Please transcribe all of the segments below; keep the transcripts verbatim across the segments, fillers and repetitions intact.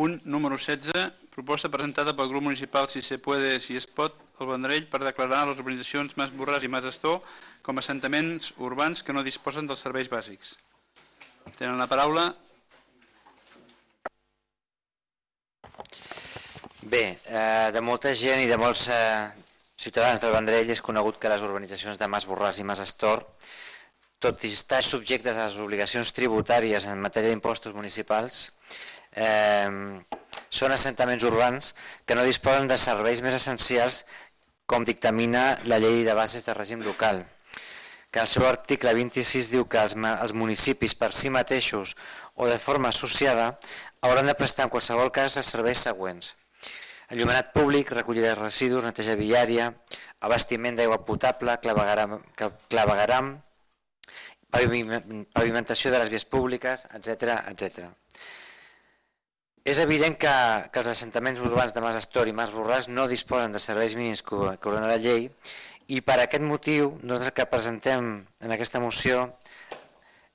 Punt número setze, proposta presentada pel grup municipal Si se puede, si es pot, el Vendrell per declarar les urbanitzacions Mas Borràs i Mas Astor com a assentaments urbans que no disposen dels serveis bàsics. Tenen la paraula. Bé, de molta gent i de molts ciutadans del Vendrell és conegut que les urbanitzacions de Mas Borràs i Mas Astor, tot i estar subjectes a les obligacions tributàries en matèria d'impostos municipals, Eh, són assentaments urbans que no disposen de serveis més essencials com dictamina la llei de bases de règim local, que el seu article vint-i-sis diu que els, els municipis per si mateixos o de forma associada hauran de prestar en qualsevol cas els serveis següents: enllumenat públic, recollida de residus, neteja viària, abastiment d'aigua potable, clavegaram, clavegaram, pavimentació de les vies públiques, etcètera etcètera. És evident que, que els assentaments urbans de Mas Astor i Mas Borràs no disposen de serveis mínims que, que ordena la llei, i per aquest motiu nosaltres el que presentem en aquesta moció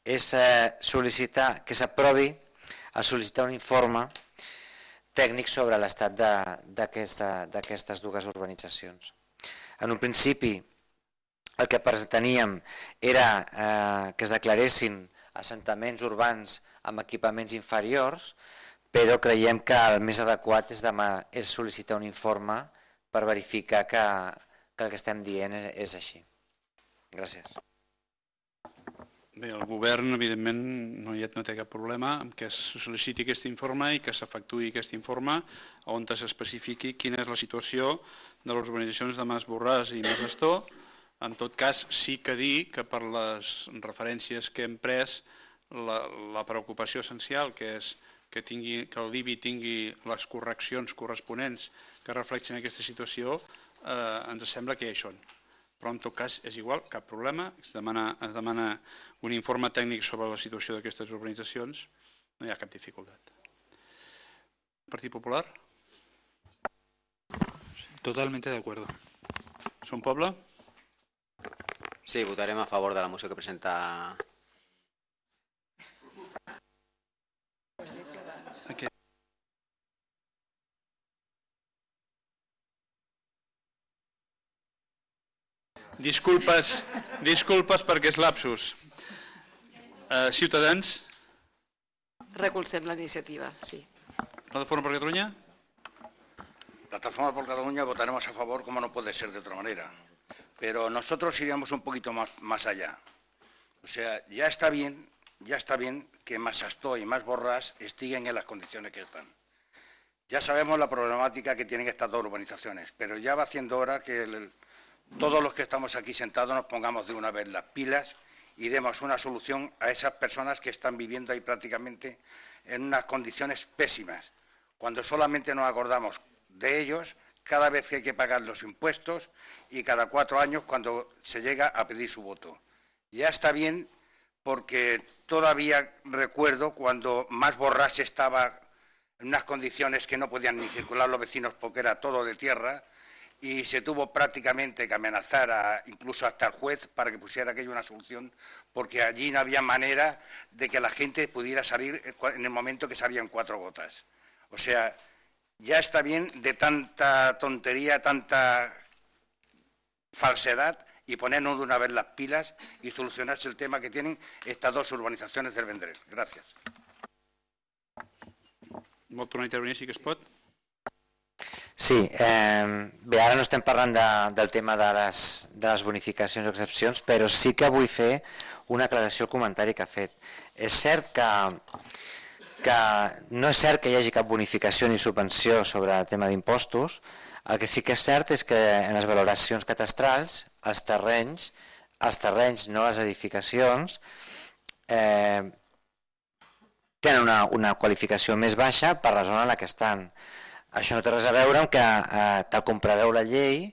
és eh, sol·licitar que s'aprovi a sol·licitar un informe tècnic sobre l'estat d'aquestes dues urbanitzacions. En un principi el que presentaríem era eh, que es declaressin assentaments urbans amb equipaments inferiors, però creiem que el més adequat és, demà, és sol·licitar un informe per verificar que, que el que estem dient és, és així. Gràcies. Bé, el govern, evidentment, no, no té cap problema en que es sol·liciti aquest informe i que s'efectuï aquest informe on s'especifiqui quina és la situació de les urbanitzacions de Mas Borràs i Mas Astor. En tot cas, sí que dir que per les referències que hem pres, la, la preocupació essencial, que és que, tingui, que l'I B I tingui les correccions corresponents que reflexen aquesta situació, eh, ens sembla que ja hi són. Però en tot cas és igual, cap problema, es demana, es demana un informe tècnic sobre la situació d'aquestes urbanitzacions, no hi ha cap dificultat. Partit Popular? Totalmente de acuerdo. ¿Son Poble? Sí, votaremos a favor de la moción que presenta. Okay. Disculpes, disculpes perquè és lapsus. Uh, Ciutadans? Recolzem la iniciativa, sí. Plataforma por Cataluña? Plataforma por Cataluña votaremos a favor, como no puede ser de otra manera. Pero nosotros iríamos un poquito más, más allá. O sea, ya está bien, ya está bien que Mas Astor y Mas Borràs estén en las condiciones que están. Ya sabemos la problemática que tienen estas dos urbanizaciones, pero ya va haciendo hora que el, todos los que estamos aquí sentados nos pongamos de una vez las pilas y demos una solución a esas personas que están viviendo ahí prácticamente en unas condiciones pésimas, cuando solamente nos acordamos de ellos cada vez que hay que pagar los impuestos y cada cuatro años cuando se llega a pedir su voto. Ya está bien, porque todavía recuerdo cuando Mas Borràs estaba en unas condiciones que no podían ni circular los vecinos porque era todo de tierra, y se tuvo prácticamente que amenazar a, incluso hasta el juez para que pusiera aquello una solución, porque allí no había manera de que la gente pudiera salir en el momento que salían cuatro gotas. O sea, ya está bien de tanta tontería, tanta falsedad, y ponernos de una vez las pilas y solucionarse el tema que tienen estas dos urbanizaciones del Vendrell. Gràcies. Vol tornar a intervenir, sí que es pot? Sí, eh, bé, ara no estem parlant de, del tema de les, de les bonificacions o excepcions, però sí que vull fer una aclaració al comentari que ha fet. És cert que, que no és cert que hi hagi cap bonificació ni subvenció sobre el tema d'impostos. El que sí que és cert és que en les valoracions catastrals, els terrenys, els terrenys, no les edificacions, eh, tenen una, una qualificació més baixa per la zona en la que estan. Això no té res a veure amb que, eh, tal com preveu la llei,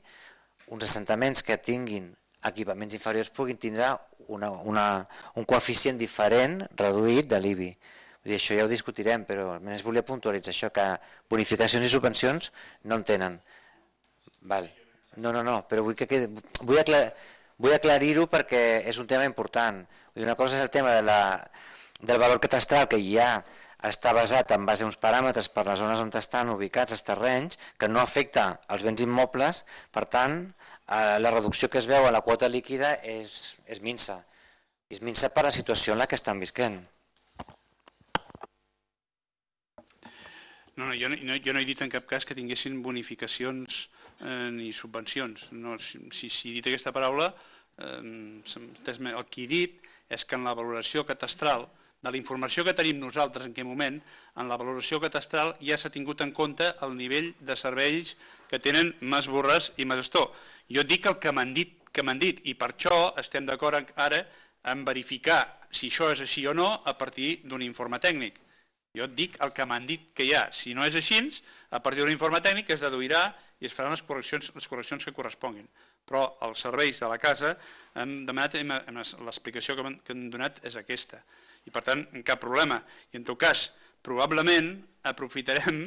uns assentaments que tinguin equipaments inferiors puguin tindre una, una, un coeficient diferent, reduït, de l'I B I. Vull dir, això ja ho discutirem, però almenys volia puntualitzar això, que bonificacions i subvencions no en tenen. Val. No, no, no, però vull, que quedi, vull, aclar, vull aclarir-ho perquè és un tema important. Vull dir, una cosa és el tema de la, del valor catastral que hi ha està basat en base a uns paràmetres per les zones on estan ubicats els terrenys, que no afecta els béns immobles, per tant, la reducció que es veu a la quota líquida és, és minsa. És minsa per la situació en la que estan visquent. No, no, jo, no, jo no he dit en cap cas que tinguessin bonificacions eh, ni subvencions. No, si, si he dit aquesta paraula, eh, el que he dit és que en la valoració catastral, de la informació que tenim nosaltres en aquest moment, en la valoració catastral ja s'ha tingut en compte el nivell de serveis que tenen Mas Borràs i Mas Astor. Jo dic el que m'han dit, que m'han dit, i per això estem d'acord ara en verificar si això és així o no a partir d'un informe tècnic. Jo et dic el que m'han dit que hi ha. Si no és així, a partir d'un informe tècnic es deduirà i es faran les correccions, les correccions que corresponguin. Però els serveis de la casa hem demanat, l'explicació que han donat és aquesta. I per tant, cap problema. I en tot cas, probablement aprofitarem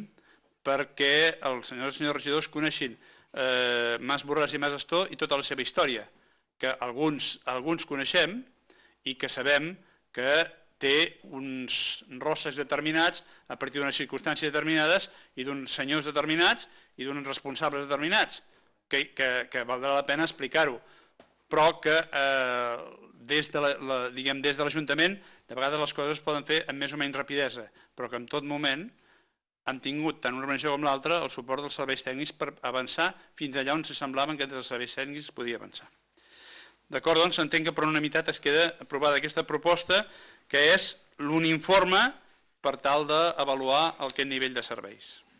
perquè els senyors i senyors regidors coneixin eh, Mas Borràs i Mas Astor i tota la seva història, que alguns, alguns coneixem i que sabem que té uns rosses determinats a partir d'unes circumstàncies determinades i d'uns senyors determinats i d'uns responsables determinats, que, que, que valdrà la pena explicar-ho, però que eh, des de la, la, diguem, des de l'Ajuntament de vegades les coses es poden fer amb més o menys rapidesa, però que en tot moment han tingut tant una organització com l'altra el suport dels serveis tècnics per avançar fins allà on se semblaven que entre els serveis tècnics es podia avançar. D'acord, doncs s'entén que per unanimitat es queda aprovada aquesta proposta, que és un informe per tal d'avaluar aquest nivell de serveis.